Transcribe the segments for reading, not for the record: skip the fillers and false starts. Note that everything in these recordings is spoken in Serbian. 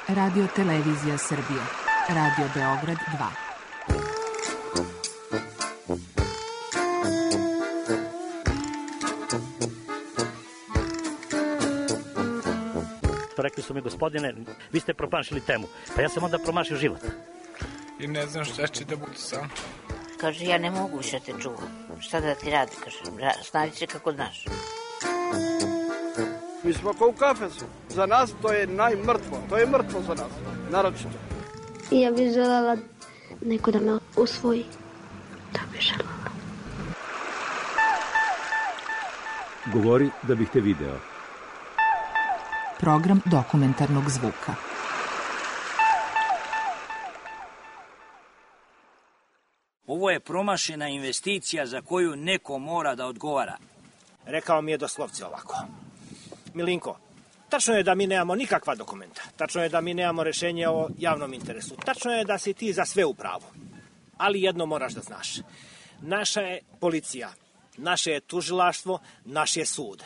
Radio Televizija Srbije. Radio Beograd 2. Rekli su mi, gospodine, vi ste promašili temu. Pa ja sam onda promašio život. I ne znam šta će da bude sam. Kaže, ja ne mogu više te čuvam. Šta da ti radi, kaže, snađi se kako znaš. Mi smo kao u kafesu. Za nas to je najmrtvo. To je mrtvo za nas, naročito. I ja bih želela neko da me usvoji. Da bih želela. Govori da bih te video. Program dokumentarnog zvuka. Ovo je promašena investicija za koju neko mora da odgovara. Rekao mi je doslovce ovako. Milinko, tačno je da mi nemamo nikakva dokumenta. Tačno je da mi nemamo rešenje o javnom interesu. Tačno je da si ti za sve u pravu. Ali jedno moraš da znaš. Naša je policija, naše je tužilaštvo, naš je sud.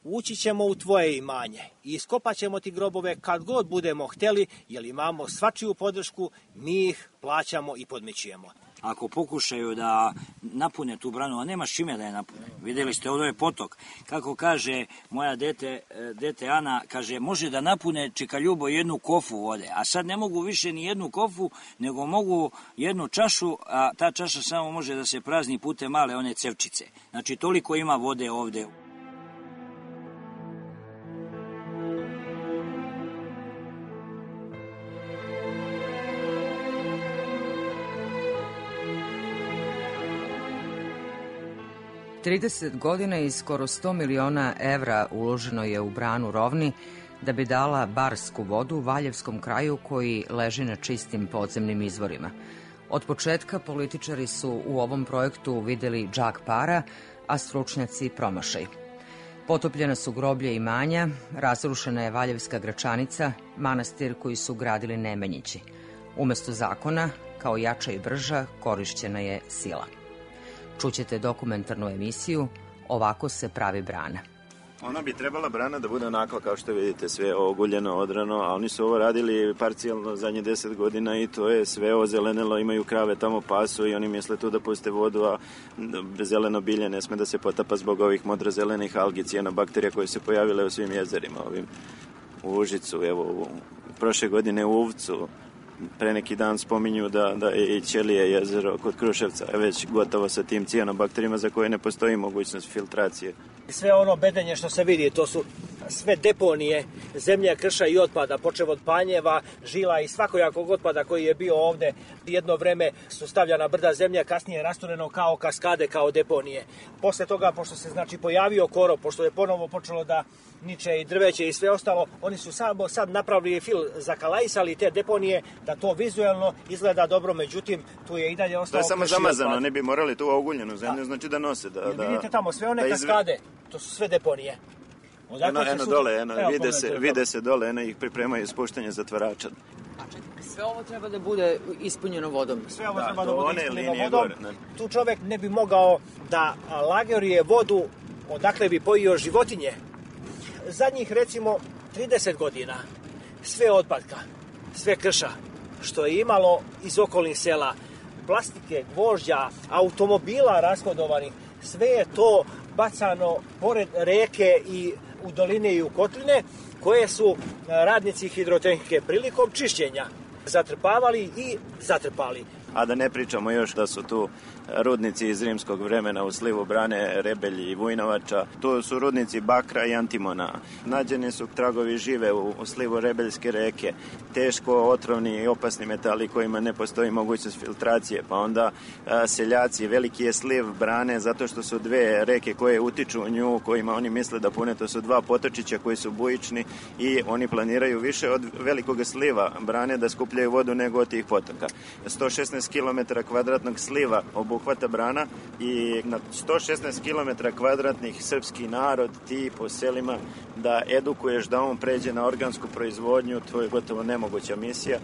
Ući ćemo u tvoje imanje i iskopat ćemo ti grobove kad god budemo hteli, jer imamo svačiju podršku, mi ih plaćamo i podmićujemo. Ako pokušaju da napune tu branu, a nema s čime da je napune. Videli ste, ovdje je potok. Kako kaže moja dete Ana, kaže, može da napune čeka Ljubo jednu kofu vode, a sad ne mogu više ni jednu kofu, nego mogu jednu čašu, a ta čaša samo može da se prazni putem male one cevčice. Znači, toliko ima vode ovdje. Trideset godina i skoro 100 miliona evra uloženo je u branu Rovni da bi dala barsku vodu Valjevskom kraju koji leži na čistim podzemnim izvorima. Od početka političari su u ovom projektu videli džak para, a stručnjaci promašaj. Potopljena su groblje imanja, razrušena je Valjevska Gračanica, manastir koji su gradili Nemanjići. Umesto zakona, kao jača i brža, korišćena je sila. Čućete dokumentarnu emisiju Ovako se pravi brana. Ona bi trebala brana da bude onako kao što vidite, sve oguljeno, odrano, a oni su ovo radili parcijalno zadnje 10 godina i to je sve ozelenelo, imaju krave tamo, pasu i oni misle tu da puste vodu, a zeleno bilje ne sme da se potapa zbog ovih modrozelenih algi, cijanobakterija koje se pojavile u svim jezerima, ovim u Užicu, evo, prošle godine u Uvcu. Pre neki dan spominju da je i Ćelije jezero kod Kruševca već gotovo sa tim cijanobakterijima za koje ne postoji mogućnost filtracije. Sve ono bedenje što se vidi, to su sve deponije zemlje, krša i otpada, počev od panjeva, žila i svakojakog otpada koji je bio ovde. Jedno vreme su stavljana brda zemlje, kasnije rastureno kao kaskade, kao deponije. Posle toga, pošto se pojavio korov, pošto je ponovo počelo da niče i drveće i sve ostalo, oni su samo sad napravili zakalajsali te deponije da to vizuelno izgleda dobro, međutim tu je i dalje ostalo. To je samo zamazano, ne bi morali tu oguljenu zemlju, znači da nose. Vidite tamo sve one kaskade, to su sve deponije. Vide se dole, ih pripremaju ispuštanje zatvarača. Sve ovo treba da bude ispunjeno vodom. Sve ovo treba da bude ispunjeno vodom. Tu čovek ne bi mogao da lageruje vodu odakle bi pojio životinje. Zadnjih, recimo, 30 godina sve otpadka, sve krša što je imalo iz okolnih sela, plastike, gvožđa, automobila rashodovanih, sve je to bacano pored reke i u doline i u kotline, koje su radnici hidrotehnike prilikom čišćenja zatrpavali i zatrpali. A da ne pričamo još da su tu rudnici iz rimskog vremena u slivu brane Rebelji i Vujnovača. Tu su rudnici bakra i antimona. Nađeni su tragovi žive u slivu Rebeljske reke. Teško otrovni i opasni metali kojima ne postoji mogućnost filtracije. Pa onda seljaci, veliki je sliv brane zato što su dve reke koje utiču u nju, kojima oni misle da pune. To su dva potočića koji su bujični i oni planiraju više od velikog sliva brane da skupljaju vodu nego od tih potoka. 116 116 km kvadratnog sliva obuhvata brana i na 116 km kvadratnih srpski narod ti po selima da edukuješ da on pređe na organsku proizvodnju, to je gotovo nemoguća misija,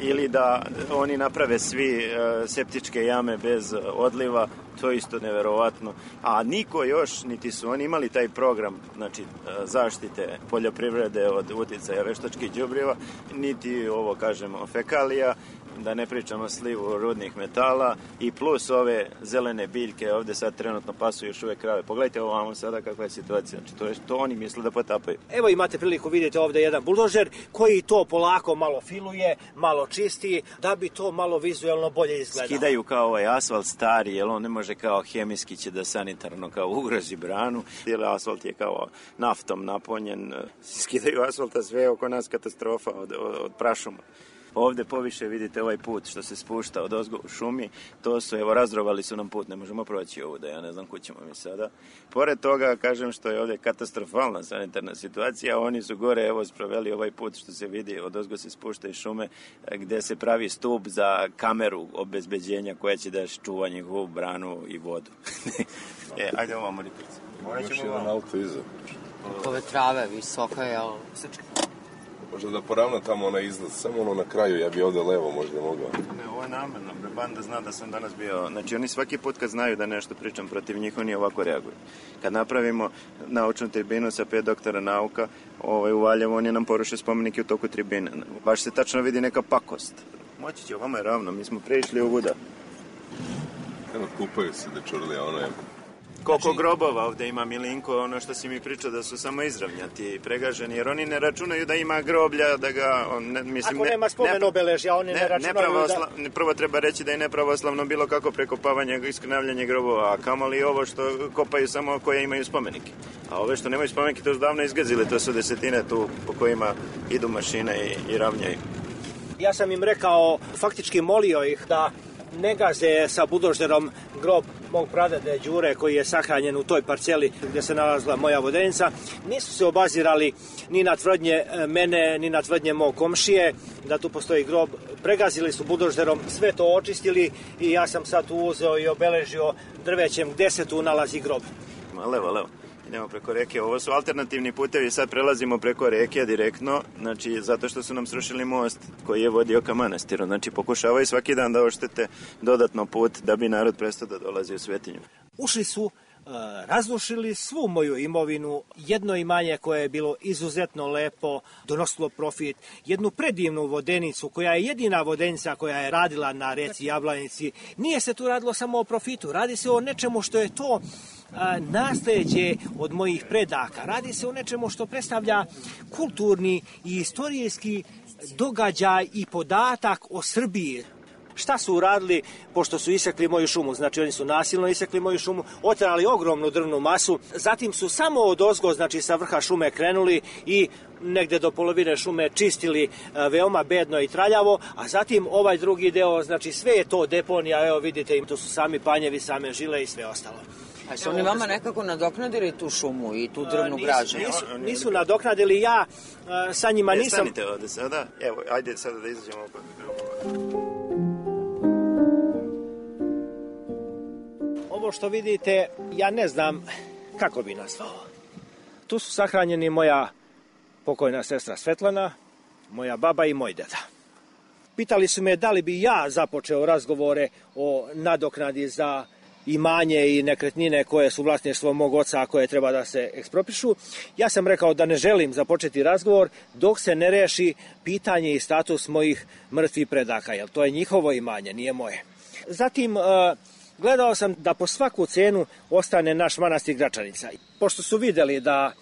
ili da oni naprave svi septičke jame bez odliva, to je isto neverovatno. A niko još, niti su oni imali taj program, znači zaštite poljoprivrede od uticaja veštačkih đubriva, niti ovo, kažemo, fekalija, da ne pričamo slivu rudnih metala i plus ove zelene biljke, ovde sad trenutno pasu još uvek krave. Pogledajte ovamo sada kakva je situacija, znači to oni misle da potapaju. Evo imate priliku, vidite ovde jedan buldožer koji to polako malo filuje, malo čisti, da bi to malo vizuelno bolje izgledalo. Skidaju kao ovaj asfalt stari, jer on ne može kao hemijski će da sanitarno kao ugrozi branu, jer asfalt je kao naftom napunjen. Skidaju asfalta, sve oko nas katastrofa od prašuma. Ovde poviše vidite ovaj put što se spušta od ozgo u šumi, to su, evo, razdrovali su nam put, ne možemo proći ovu, da ja ne znam kud ćemo mi sada. Pored toga, kažem što je ovde katastrofalna sanitarna situacija, oni su gore, evo, sproveli ovaj put što se vidi, od ozgo se spušta iz šume, gde se pravi stup za kameru obezbeđenja koja će da čuva njihovu branu i vodu. Ajde ovo, Moripice. Još jedan auto iza. Ove trave, visoka je, ali... Možda da poravna tamo onaj izlaz, samo ono na kraju, ja bi ovde levo možda mogao. Ne, ovo je namerno, banda zna da sam danas bio, znači oni svaki put kad znaju da nešto pričam protiv njih, oni ovako reaguju. Kad napravimo naučnu tribinu sa 5 doktora nauka, u Valjevu, oni nam poruše spomenike u toku tribine. Baš se tačno vidi neka pakost. Moći će, ovamo je ravno, mi smo prešli u Vuda. Evo, kupaju se dečurlija, ono je... Koliko grobova ovde ima, Milinko, ono što si mi pričao da su samo izravnjati i pregaženi, jer oni ne računaju da ima groblja, da ga... Ako nema spomen obeležja, oni ne računaju da... Prvo treba reći da je nepravoslavno bilo kako prekopavanje, iskrnavljanje grobova, a kamoli ovo što kopaju samo koje imaju spomenike. A ove što nemaju spomenike, to su davno izgazile, to su desetine tu po kojima idu mašine i ravnjaju. Ja sam im rekao, faktički molio ih da ne gaze sa buldožerom grob mog pradede Đure koji je sahranjen u toj parceli gdje se nalazila moja vodenica. Nisu se obazirali ni na tvrdnje mene, ni na tvrdnje mog komšije da tu postoji grob. Pregazili su buldožerom, sve to očistili i ja sam sad tu uzeo i obeležio drvećem gde se tu nalazi grob. Levo. Idemo preko reke. Ovo su alternativni putevi, sad prelazimo preko reke direktno, znači zato što su nam srušili most koji je vodio ka manastiru. Znači pokušavaju svaki dan da oštete dodatno put da bi narod prestao da dolazi u Svetinju. Ušli su, razrušili svu moju imovinu, jedno imanje koje je bilo izuzetno lepo, donosilo profit, jednu predivnu vodenicu koja je jedina vodenica koja je radila na reci Jablanici. Nije se tu radilo samo o profitu, radi se o nečemu što je to nasleđe od mojih predaka. Radi se o nečemu što predstavlja kulturni i istorijski događaj i podatak o Srbiji. Šta su uradili pošto su isekli moju šumu? Znači oni su nasilno isekli moju šumu, oterali ogromnu drvnu masu, zatim su samo odozgo, znači sa vrha šume krenuli i negde do polovine šume čistili veoma bedno i traljavo, a zatim ovaj drugi deo, znači sve je to deponija, evo vidite, to su sami panjevi, same žile i sve ostalo. A su oni vama nekako nadoknadili tu šumu i tu drvnu građu? Nisu nadoknadili, ja sa njima nisam... Stanite ovde sada, evo, ajde sada da izađemo oko. Ovo što vidite, ja ne znam kako bi nazvao. Tu su sahranjeni moja pokojna sestra Svetlana, moja baba i moj deda. Pitali su me da li bi ja započeo razgovore o nadoknadi za imanje i nekretnine koje su vlasništvo mog oca, koje treba da se eksproprišu. Ja sam rekao da ne želim započeti razgovor dok se ne reši pitanje i status mojih mrtvih predaka, jer to je njihovo imanje, nije moje. Zatim, gledao sam da po svaku cenu ostane naš manastir Gračanica. Pošto su videli da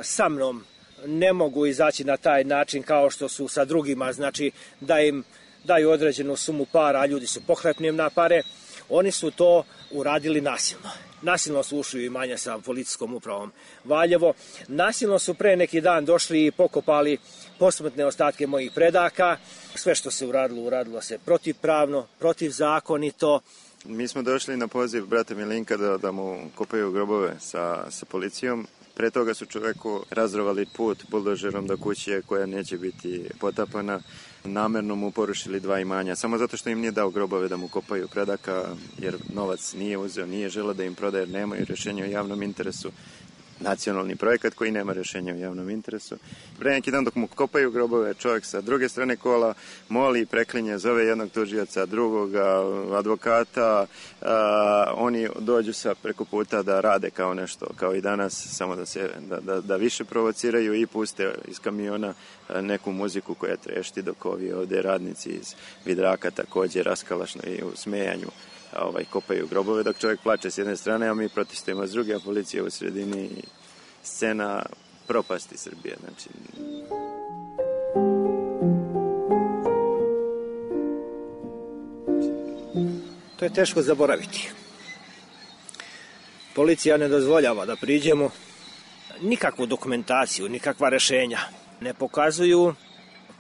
sa mnom ne mogu izaći na taj način kao što su sa drugima, znači da im daju određenu sumu para, a ljudi su pohlepni na pare, oni su to uradili nasilno. Nasilno su ušli u imanje sa policijskom upravom Valjevo. Nasilno su pre neki dan došli i pokopali posmrtne ostatke mojih predaka. Sve što se uradilo se protivpravno, protivzakonito. Mi smo došli na poziv brata Milinka da mu kopaju grobove sa policijom Pre toga su čoveku razrovali put buldožerom do kuće koja neće biti potapana. Namerno mu porušili 2 imanja, samo zato što im nije dao grobove da mu kopaju predaka, jer novac nije uzeo, nije želeo da im prodaje, jer nemaju rješenja o javnom interesu. Nacionalni projekat koji nema rješenja o javnom interesu. Pre neki dan dok mu kopaju grobove, čovjek sa druge strane kola moli i preklinje, zove jednog tužioca, drugoga advokata, oni dođu sa preko puta da rade kao nešto, kao i danas, samo da više provociraju i puste iz kamiona neku muziku koja trešti, dok ovi ovdje radnici iz Vidraka također raskalašno i u smejanju kopaju grobove, dok čovjek plače s jedne strane, a mi protestujemo s druge, a policija u sredini. Scena propasti Srbije. Znači... To je teško zaboraviti. Policija ne dozvoljava da priđemo, nikakvu dokumentaciju, nikakva rešenja ne pokazuju,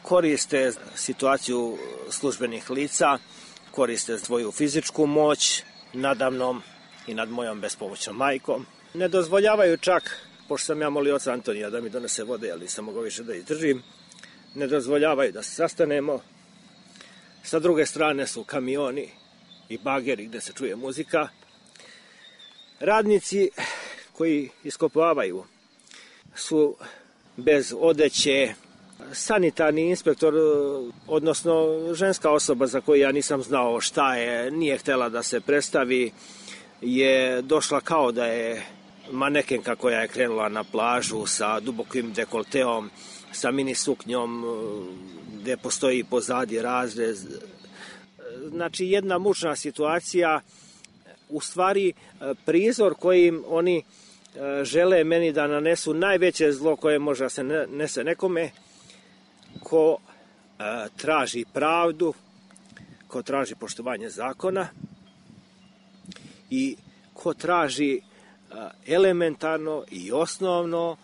koriste situaciju službenih lica, koriste svoju fizičku moć nadamnom i nad mojom bespomoćnom majkom. Ne dozvoljavaju čak, pošto sam ja molio oca Antonija da mi donese vode, ali nisam mogao više da izdržim, ne dozvoljavaju da se sastanemo. Sa druge strane su kamioni i bageri gde se čuje muzika. Radnici koji iskopavaju su bez odeće. Sanitarni inspektor, odnosno ženska osoba za koju ja nisam znao šta je, nije htjela da se predstavi, je došla kao da je manekenka koja je krenula na plažu sa dubokim dekolteom, sa mini suknjom gde postoji pozadi razrez. Znači jedna mučna situacija, u stvari prizor kojim oni žele meni da nanesu najveće zlo koje može da se nese nekome ko traži pravdu, ko traži poštovanje zakona i ko traži elementarno i osnovno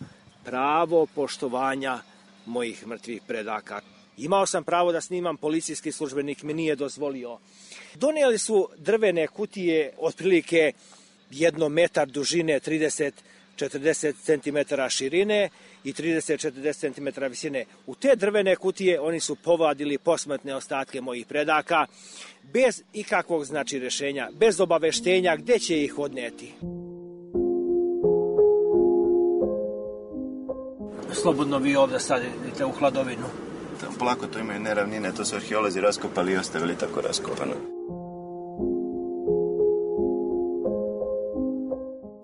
pravo poštovanja mojih mrtvih predaka. Imao sam pravo da snimam, policijski službenik mi nije dozvolio. Donijeli su drvene kutije otprilike 1 metar dužine, 30-40 cm širine i 30-40 cm visine. U te drvene kutije oni su povadili posmrtne ostatke mojih predaka bez ikakvog rješenja, bez obaveštenja gde će ih odneti. Slobodno vi ovdje stavite u hladovinu. Polako to imaju neravnine, to su arheolozi raskopali i ostavili tako raskopano.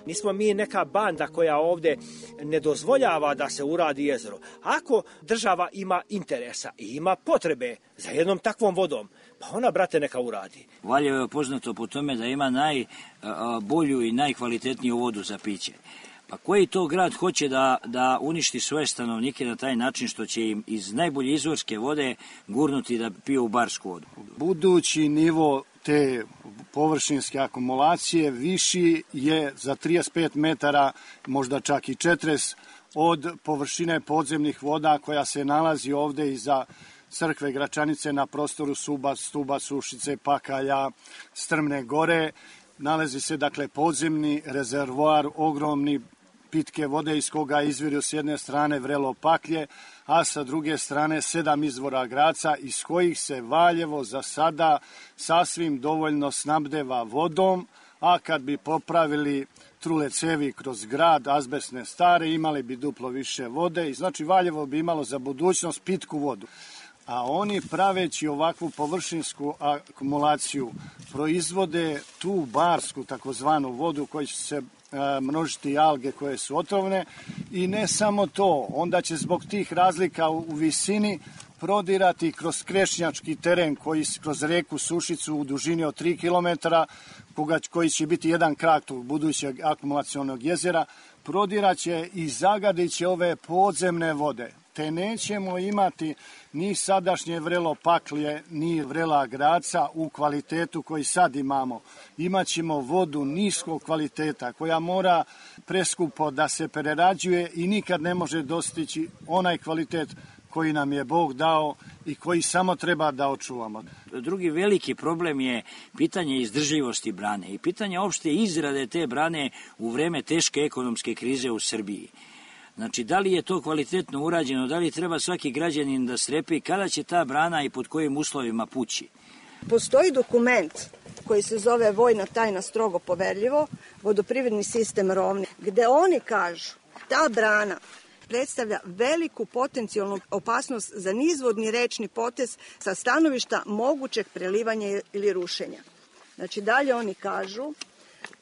Nismo mi neka banda koja ovdje ne dozvoljava da se uradi jezero. Ako država ima interesa i ima potrebe za jednom takvom vodom, pa ona, brate, neka uradi. Valjevo je poznato po tome da ima najbolju i najkvalitetniju vodu za piće. Pa koji to grad hoće da uništi svoje stanovnike na taj način što će im iz najbolje izvorske vode gurnuti da piju barsku vodu? Budući nivo te površinske akumulacije viši je za 35 metara, možda čak i 40, od površine podzemnih voda koja se nalazi ovde iza crkve Gračanice na prostoru Stuba, Sušice, Pakalja, Strmne gore. Nalazi se dakle podzemni rezervoar, ogromni pitke vode iz koga izviru s jedne strane vrelo Paklje, a sa druge strane 7 izvora Graca iz kojih se Valjevo za sada sasvim dovoljno snabdeva vodom, a kad bi popravili trule cevi kroz grad, azbestne stare, imali bi duplo više vode i znači Valjevo bi imalo za budućnost pitku vodu. A oni praveći ovakvu površinsku akumulaciju proizvode tu barsku takozvanu vodu koja će se množiti alge koje su otrovne i ne samo to, onda će zbog tih razlika u visini prodirati kroz krešnjački teren koji kroz reku Sušicu u dužini od 3 km, koji će biti jedan krak tog budućeg akumulacionog jezera, prodiraće i zagadiće ove podzemne vode. Te nećemo imati ni sadašnje vrelo Paklje, ni vrela Graca u kvalitetu koji sad imamo. Imaćemo vodu niskog kvaliteta koja mora preskupo da se prerađuje i nikad ne može dostići onaj kvalitet koji nam je Bog dao i koji samo treba da očuvamo. Drugi veliki problem je pitanje izdržljivosti brane i pitanje opšte izrade te brane u vreme teške ekonomske krize u Srbiji. Znači, da li je to kvalitetno urađeno, da li treba svaki građanin da strepi, kada će ta brana i pod kojim uslovima pući? Postoji dokument koji se zove Vojna tajna strogo poverljivo, vodoprivredni sistem Rovni, gde oni kažu ta brana predstavlja veliku potencijalnu opasnost za nizvodni rečni potez sa stanovišta mogućeg prelivanja ili rušenja. Znači, dalje oni kažu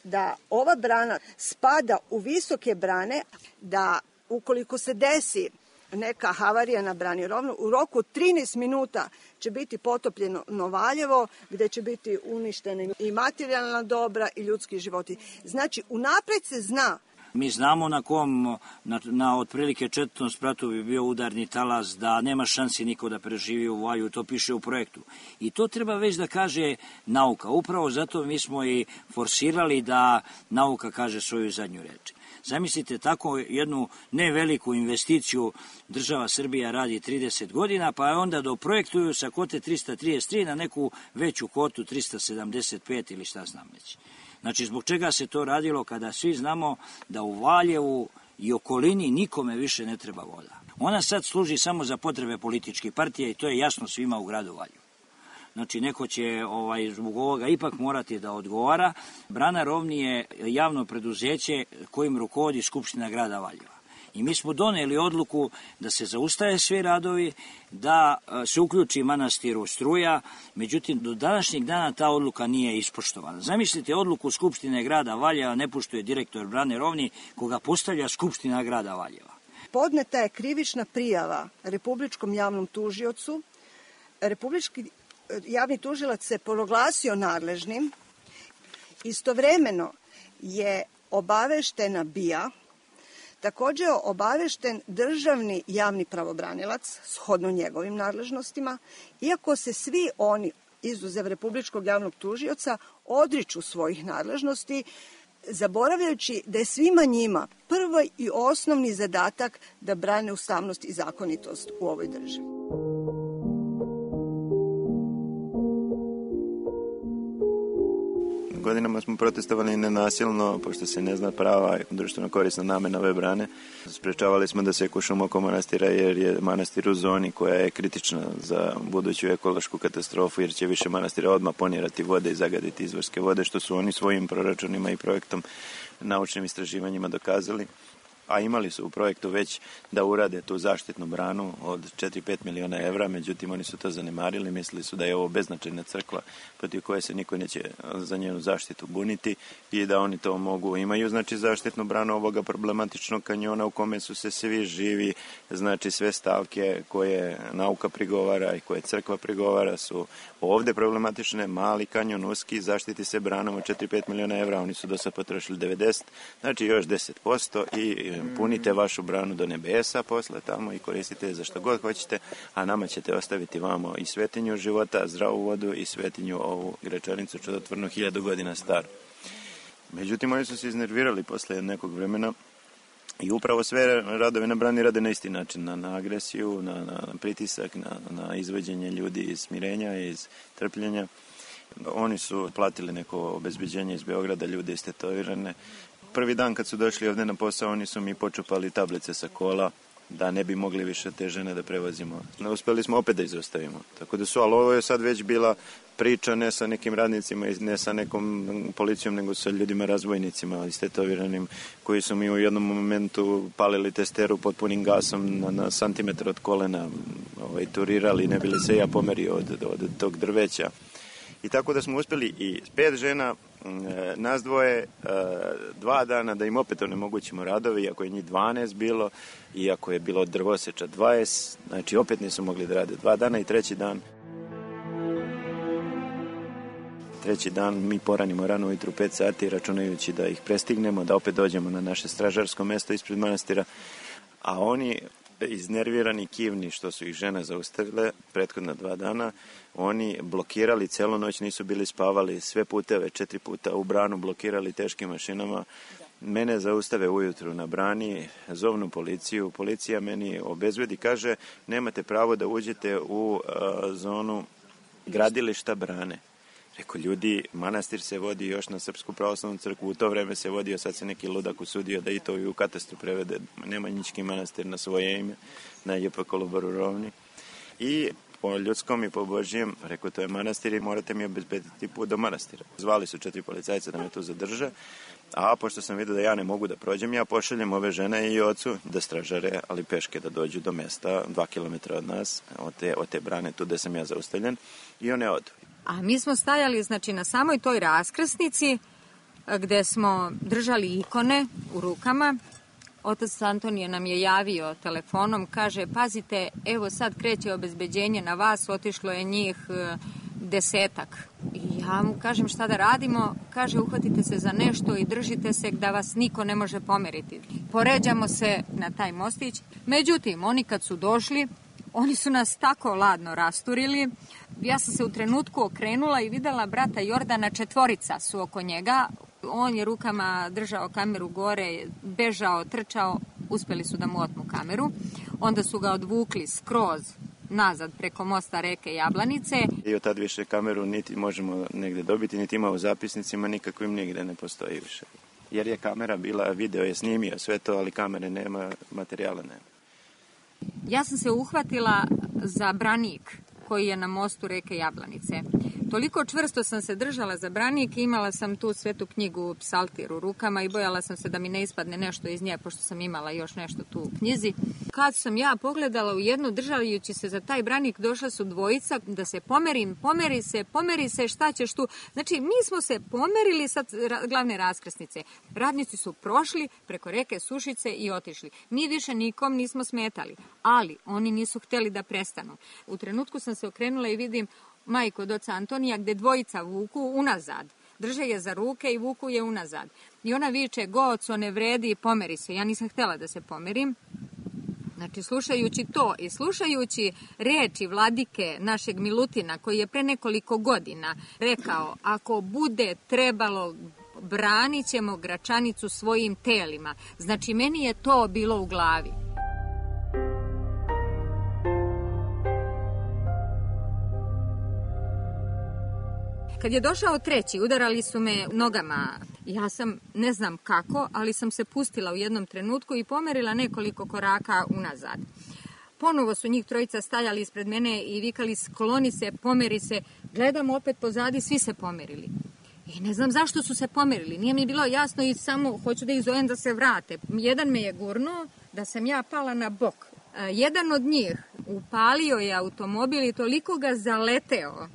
da ova brana spada u visoke brane, da ukoliko se desi neka havarija na brani Rovno, u roku od 13 minuta će biti potopljeno Valjevo, gde će biti uništene i materijalna dobra i ljudski životi. Znači, unapred se zna. Mi znamo na otprilike 4. spratu bi bio udarni talas, da nema šansi niko da preživi u Valju, to piše u projektu. I to treba već da kaže nauka. Upravo zato mi smo i forsirali da nauka kaže svoju zadnju reč. Zamislite, tako jednu ne veliku investiciju država Srbija radi 30 godina, pa onda doprojektuju sa kote 333 na neku veću kotu 375 ili šta znam već. Znači, zbog čega se to radilo kada svi znamo da u Valjevu i okolini nikome više ne treba voda. Ona sad služi samo za potrebe političkih partija i to je jasno svima u gradu Valjevu. Znači, neko će zbog ovoga ipak morati da odgovara. Brana Rovni je javno preduzeće kojim rukovodi Skupština grada Valjeva. I mi smo doneli odluku da se zaustave svi radovi, da se uključi manastiru struja, međutim, do današnjeg dana ta odluka nije ispoštovana. Zamislite, odluku Skupštine grada Valjeva ne poštuje direktor Brane Rovni, koga postavlja Skupština grada Valjeva. Podneta je krivična prijava Republičkom javnom tužiocu. Republički javni tužilac se proglasio nadležnim. Istovremeno je obaveštena BIA, takođe je obavešten državni javni pravobranilac, shodno njegovim nadležnostima, iako se svi oni, izuzev Republičkog javnog tužioca, odriču svojih nadležnosti, zaboravljajući da je svima njima prvi i osnovni zadatak da brane ustavnost i zakonitost u ovoj državi. Godinama smo protestovali nenasilno, pošto se ne zna prava društveno korisna namena ove brane. Sprečavali smo da se kušamo oko manastira, jer je manastir u zoni koja je kritična za buduću ekološku katastrofu, jer će više manastira odmah ponirati vode i zagaditi izvorske vode, što su oni svojim proračunima i projektom, naučnim istraživanjima dokazali. A imali su u projektu već da urade tu zaštitnu branu od 4-5 miliona evra, međutim oni su to zanemarili, mislili su da je ovo beznačajna crkva protiv koje se niko neće za njenu zaštitu buniti i da oni to mogu. Imaju znači zaštitnu branu ovoga problematičnog kanjona u kome su se svi živi, znači sve stavke koje nauka prigovara i koje crkva prigovara su ovde problematične. Mali kanjon, uski, zaštiti se branom od 4-5 miliona evra, oni su do sad potrošili 90, znači još 10% i punite vašu branu do nebesa posle tamo i koristite za što god hoćete, a nama ćete ostaviti vamo i svetinju života, zdravu vodu i svetinju ovu grečanicu čudotvornu 1000 godina staru. Međutim, oni su se iznervirali posle nekog vremena i upravo sve radove na brani rade na isti način, na agresiju, na pritisak, na izvođenje ljudi iz smirenja, iz trpljenja. Oni su platili neko obezbeđenje iz Beograda, ljude istetovirane. Prvi dan kad su došli ovde na posao, oni su mi počupali tablice sa kola da ne bi mogli više te žene da prevozimo. Uspeli smo opet da izostavimo. Tako da ali ovo je sad već bila priča ne sa nekim radnicima i ne sa nekom policijom, nego sa ljudima razbojnicima, istetoviranim, koji su mi u jednom momentu palili testeru pod punim gasom na santimetar od kolena, turirali, ne bili se ja pomerio od tog drveća. I tako da smo uspeli i 5 žena, nas dvoje, 2 dana da im opet onemogućimo radove, iako je njih 12 bilo, iako je bilo drvoseča 20, znači opet nisu mogli da rade 2 dana i treći dan mi poranimo rano ujutru 5 sati računajući da ih prestignemo, da opet dođemo na naše stražarsko mesto ispred manastira, a oni iznervirani, kivni što su ih žene zaustavile prethodna 2 dana, oni blokirali celu noć, nisu bili spavali, sve puteve 4 puta u branu blokirali teškim mašinama Mene zaustave ujutru na brani, zovnu policiju, policija meni obezbedi, kaže nemate pravo da uđete u zonu gradilišta brane. Rekao, ljudi, manastir se vodi još na Srpsku pravoslavnu crkvu, u to vreme se vodio, sad se neki ludak usudio da i to i u katastru prevede Nemanjički manastir na svoje ime, na JP Kolubaru Rovni. I po ljudskom i po Božijem, rekao, to je manastir i morate mi obezbediti put do manastira. Zvali su 4 policajca da me tu zadrže, a pošto sam vidio da ja ne mogu da prođem, ja pošaljem ove žene i ocu da stražare, ali peške da dođu do mesta 2 km od nas, od te brane tu gde sam ja zaustavljen, i one odu. A mi smo stajali, znači, na samoj toj raskrsnici gde smo držali ikone u rukama. Otac Antonije nam je javio telefonom, kaže, pazite, evo sad kreće obezbeđenje na vas, otišlo je njih 10-ak. I ja mu kažem, šta da radimo? Kaže, uhvatite se za nešto i držite se da vas niko ne može pomeriti. Poređamo se na taj mostić. Međutim, oni kad su došli, oni su nas tako ladno rasturili. Ja sam se u trenutku okrenula i videla brata Jordana, 4 su oko njega. On je rukama držao kameru gore, bežao, trčao, uspeli su da mu otmu kameru. Onda su ga odvukli skroz nazad preko mosta reke Jablanice. I od tad više kameru niti možemo negde dobiti, niti ima u zapisnicima, nikakvim nigde ne postoji više. Jer je kamera bila, video je snimio sve to, ali kamere nema, materijala nema. Ja sam se uhvatila za branik koji je na mostu reke Jablanice. Toliko čvrsto sam se držala za branik i imala sam tu svetu knjigu Psaltir u rukama i bojala sam se da mi ne ispadne nešto iz nje, pošto sam imala još nešto tu u knjizi. Kad sam ja pogledala u jednu, držajući se za taj branik, došla su 2 da se pomerim, pomeri se, šta ćeš tu? Znači, mi smo se pomerili sa glavne raskrsnice. Radnici su prošli preko reke Sušice i otišli. Mi više nikom nismo smetali, ali oni nisu hteli da prestanu. U trenutku sam se okrenula i vidim majku od oca Antonija gde 2 vuku unazad. Drže je za ruke i vuku je unazad. I ona viče, Goco, ne vredi, pomeri se. Ja nisam htela da se pomerim. Znači, slušajući to i slušajući reči vladike našeg Milutina, koji je pre nekoliko godina rekao, ako bude trebalo, branit ćemo Gračanicu svojim telima. Znači, meni je to bilo u glavi. Kad je došao 3, udarali su me nogama. Ja sam, ne znam kako, ali sam se pustila u jednom trenutku i pomerila nekoliko koraka unazad. Ponovo su njih 3 stajali ispred mene i vikali, skloni se, pomeri se. Gledam opet pozadi, svi se pomerili. I ne znam zašto su se pomerili. Nije mi bilo jasno i samo hoću da ih zovem da se vrate. Jedan me je gurnuo da sam ja pala na bok. Jedan od njih upalio je automobil i toliko ga zaleteo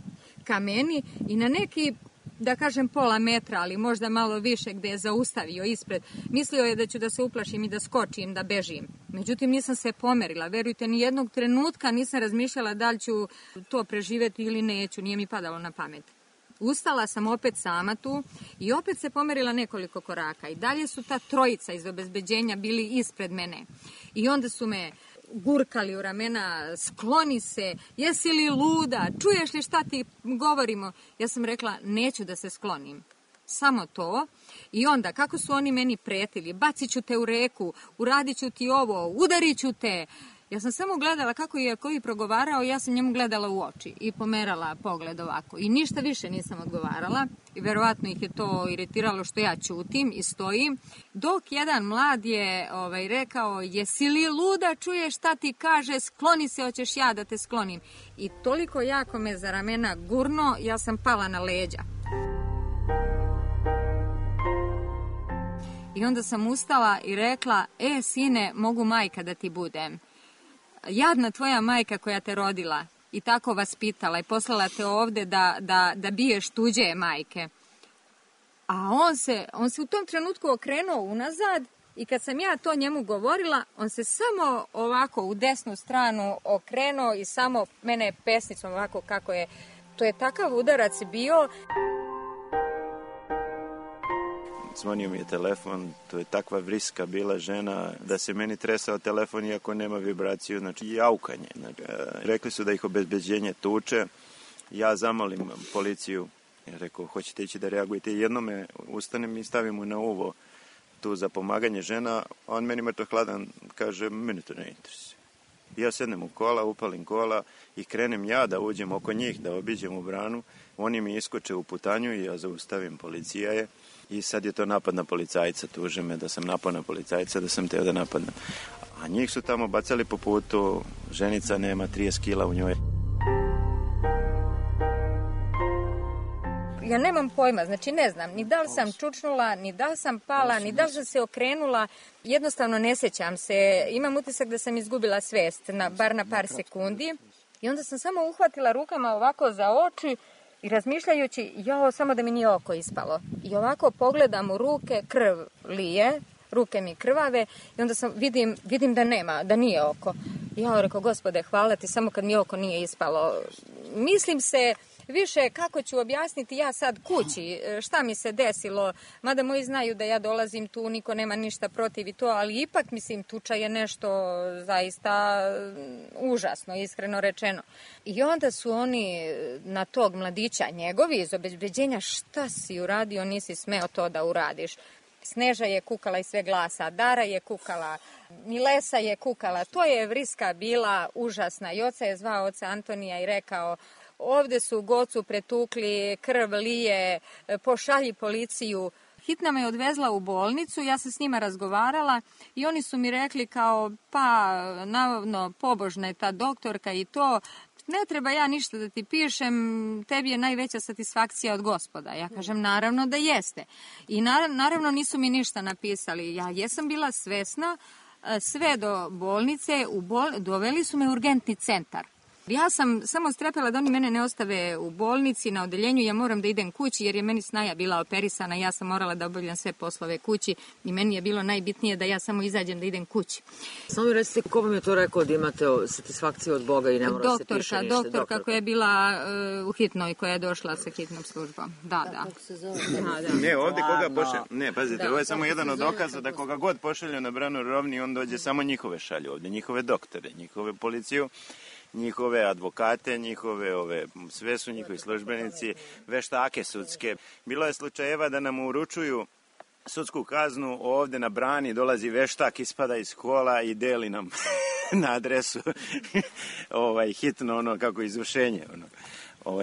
ka meni i na neki, da kažem, pola metra, ali možda malo više, gde je zaustavio ispred. Mislio je da ću da se uplašim i da skočim, da bežim. Međutim, nisam se pomerila. Verujte, ni jednog trenutka nisam razmišljala da li ću to preživeti ili neću. Nije mi padalo na pamet. Ustala sam opet sama tu i opet se pomerila nekoliko koraka. I dalje su ta 3 iz obezbeđenja bili ispred mene. I onda su me gurkali u ramena, skloni se, jesi li luda, čuješ li šta ti govorimo? Ja sam rekla, neću da se sklonim. Samo to. I onda, kako su oni meni pretili, bacit ću te u reku, uradit ću ti ovo, udarit ću te. Ja sam samo gledala kako je koji progovarao, ja sam njemu gledala u oči i pomerala pogled ovako. I ništa više nisam odgovarala i verovatno ih je to iritiralo što ja ćutim i stojim. Dok jedan mlad je rekao, jesi li luda, čuješ šta ti kaže, skloni se, hoćeš ja da te sklonim. I toliko jako me za ramena gurno, ja sam pala na leđa. I onda sam ustala i rekla, sine, mogu majka da ti budem. Jadna tvoja majka koja te rodila i tako vaspitala i poslala te ovde da biješ tuđe majke. A on se u tom trenutku okrenuo unazad i kad sam ja to njemu govorila, on se samo ovako u desnu stranu okrenuo i samo mene pesnicom ovako kako je. To je takav udarac bio. Zvonio mi je telefon, to je takva vriska bila žena da se meni tresao telefon iako nema vibraciju, znači jaukanje. Rekli su da ih obezbeđenje tuče, ja zamolim policiju, rekao, hoćete ići da reagujete, jednome ustanem i stavim mu na uvo tu za pomaganje žena, on meni mrtvo hladan kaže, meni to ne interesuje. Ja sednem u kola, upalim kola i krenem ja da uđem oko njih, da obiđem u branu. Oni mi iskoče u putanju i ja zaustavim, policija je. I sad je to napad na policajca, tuže me da sam napao na policajca, da sam teo da napadnem. A njih su tamo bacali po putu, ženica nema 30 kila u njoj. Ja nemam pojma, znači ne znam, ni da li sam čučnula, ni da li sam pala, ni da li sam se okrenula, jednostavno ne sjećam se. Imam utisak da sam izgubila svest, bar na par sekundi. I onda sam samo uhvatila rukama ovako za oči i razmišljajući, samo da mi nije oko ispalo. I ovako pogledam u ruke, krv lije, ruke mi krvave i onda vidim da nema, da nije oko. Ja rekao, Gospode, hvala ti, samo kad mi oko nije ispalo. Mislim se više kako ću objasniti ja sad kući, šta mi se desilo, mada moji znaju da ja dolazim tu, niko nema ništa protiv i to, ali ipak, mislim, tuča je nešto zaista užasno, iskreno rečeno. I onda su oni na tog mladića njegovi iz obezbeđenja, šta si uradio, nisi smeo to da uradiš. Sneža je kukala iz sve glasa, Dara je kukala, Milesa je kukala, to je vriska bila užasna. I oca je zvao oca Antonija i rekao, ovde su Gocu pretukli, krv lije, pošalji policiju. Hitna me odvezla u bolnicu, ja sam s njima razgovarala i oni su mi rekli kao, pa, navodno, pobožna je ta doktorka i to, ne treba ja ništa da ti pišem, tebi je najveća satisfakcija od Gospoda. Ja kažem, naravno da jeste. I naravno nisu mi ništa napisali. Ja jesam bila svesna, sve do bolnice, doveli su me u urgentni centar. Ja sam samo strepela da oni mene ne ostave u bolnici, na odeljenju, ja moram da idem kući jer je meni snaja bila operisana, ja sam morala da obavljam sve poslove kući i meni je bilo najbitnije da ja samo izađem da idem kući. Samo mi recite, ko vam je to rekao da imate satisfakciju od Boga i ne mora se piše ništa? Doktorka koja je bila u hitnoj, koja je došla sa hitnom službom. Da. Ne, ovdje koga pošalju, ne, pazite, ovo je samo jedan od dokaza da koga god pošalju na branu Rovni, on dođe, samo njihove šalju ovdje, njihove doktore, njihove policiju, njihove advokate, sve su njihovi službenici, veštake sudske. Bilo je slučajeva da nam uručuju sudsku kaznu, ovdje na brani dolazi veštak, ispada iz kola i deli nam na adresu hitno kako izvršenje,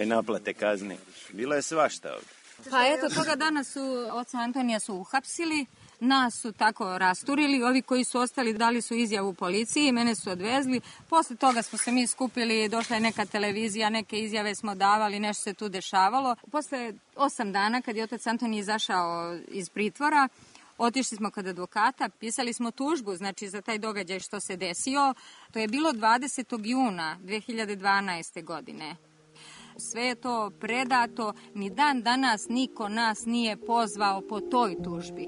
naplate kazne. Bilo je svašta ovdje. Pa eto, toga dana su oca Antonija su uhapsili, nas su tako rasturili, ovi koji su ostali dali su izjavu policiji, mene su odvezli, posle toga smo se mi skupili, došla je neka televizija, neke izjave smo davali, nešto se tu dešavalo. Posle 8 dana, kad je otac Antonij izašao iz pritvora, otišli smo kod advokata, pisali smo tužbu, znači za taj događaj što se desio. To je bilo 20. juna 2012. godine. Sve je to predato, ni dan danas niko nas nije pozvao po toj tužbi.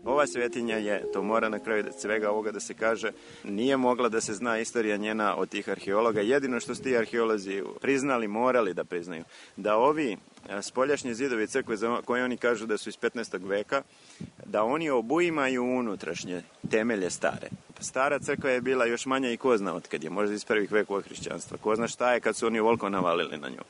Ova svetinja je, to mora na kraju svega ovoga da se kaže, nije mogla da se zna istorija njena od tih arheologa. Jedino što su ti arheolozi priznali, morali da priznaju, da ovi spoljašnji zidovi crkve koje oni kažu da su iz 15. veka, da oni obuimaju unutrašnje temelje stare. Stara crkva je bila još manja i ko zna od kad je, možda iz prvih vekova hrišćanstva. Ko zna šta je kad su oni ovoliko navalili na nju.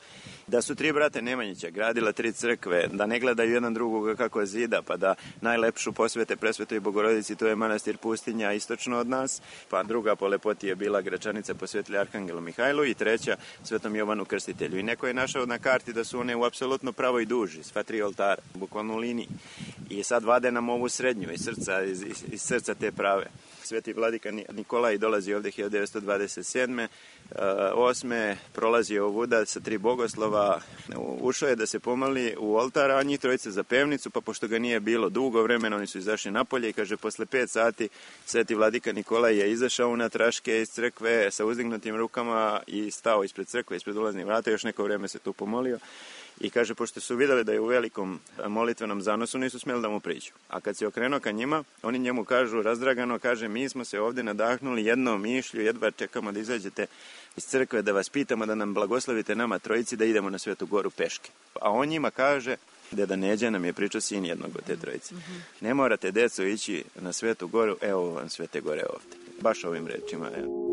Da su 3 brate Nemanjića gradila 3 crkve, da ne gledaju jedan drugoga kako zida, pa da najlepšu posvete Presvetoj Bogorodici, to je manastir Pustinja istočno od nas, pa druga po lepoti je bila Gračanica posvetili Arhangelu Mihajlu i treća Svetom Jovanu Krstitelju. I neko je našao na karti da su one u apsolutno pravoj duži, sva 3 oltara, bukvalno u liniji. I sad vade nam ovu srednju iz srca te prave. Sveti vladika Nikolaj dolazi ovdje 1927. 8. prolazi ovuda sa 3 bogoslova, ušao je da se pomoli u oltar, a njih trojice za pevnicu, pa pošto ga nije bilo dugo vremena, oni su izašli napolje i kaže, posle 5 sati sveti vladika Nikolaj je izašao na traške iz crkve sa uzdignutim rukama i stao ispred crkve, ispred ulaznih vrata, još neko vreme se tu pomolio. I kaže, pošto su vidjeli da je u velikom molitvenom zanosu, nisu smjeli da mu priđu. A kad se okrenuo ka njima, oni njemu kažu, razdragano, kaže, mi smo se ovdje nadahnuli jednom mišlju, jedva čekamo da izađete iz crkve, da vas pitamo da nam blagoslovite nama trojici da idemo na Svetu Goru peške. A on njima kaže, deda Neđa nam je pričao sin jednog od te trojice. Ne morate, deco, ići na Svetu Goru, evo vam Svete Gore ovdje. Baš ovim rečima, evo.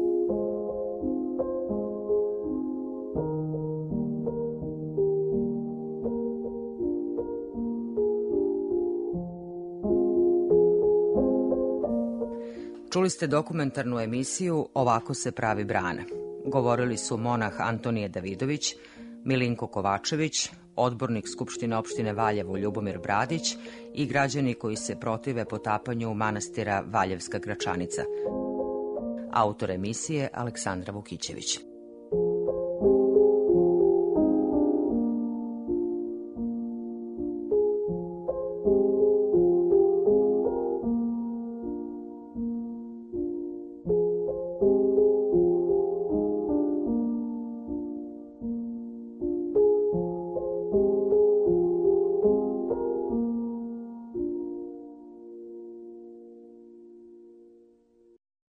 Čuli ste dokumentarnu emisiju Ovako se pravi brana. Govorili su monah Antonije Davidović, Milinko Kovačević, odbornik Skupštine opštine Valjevo Ljubomir Bradić i građani koji se protive potapanju manastira Valjevska Gračanica. Autor emisije Aleksandra Vukićević.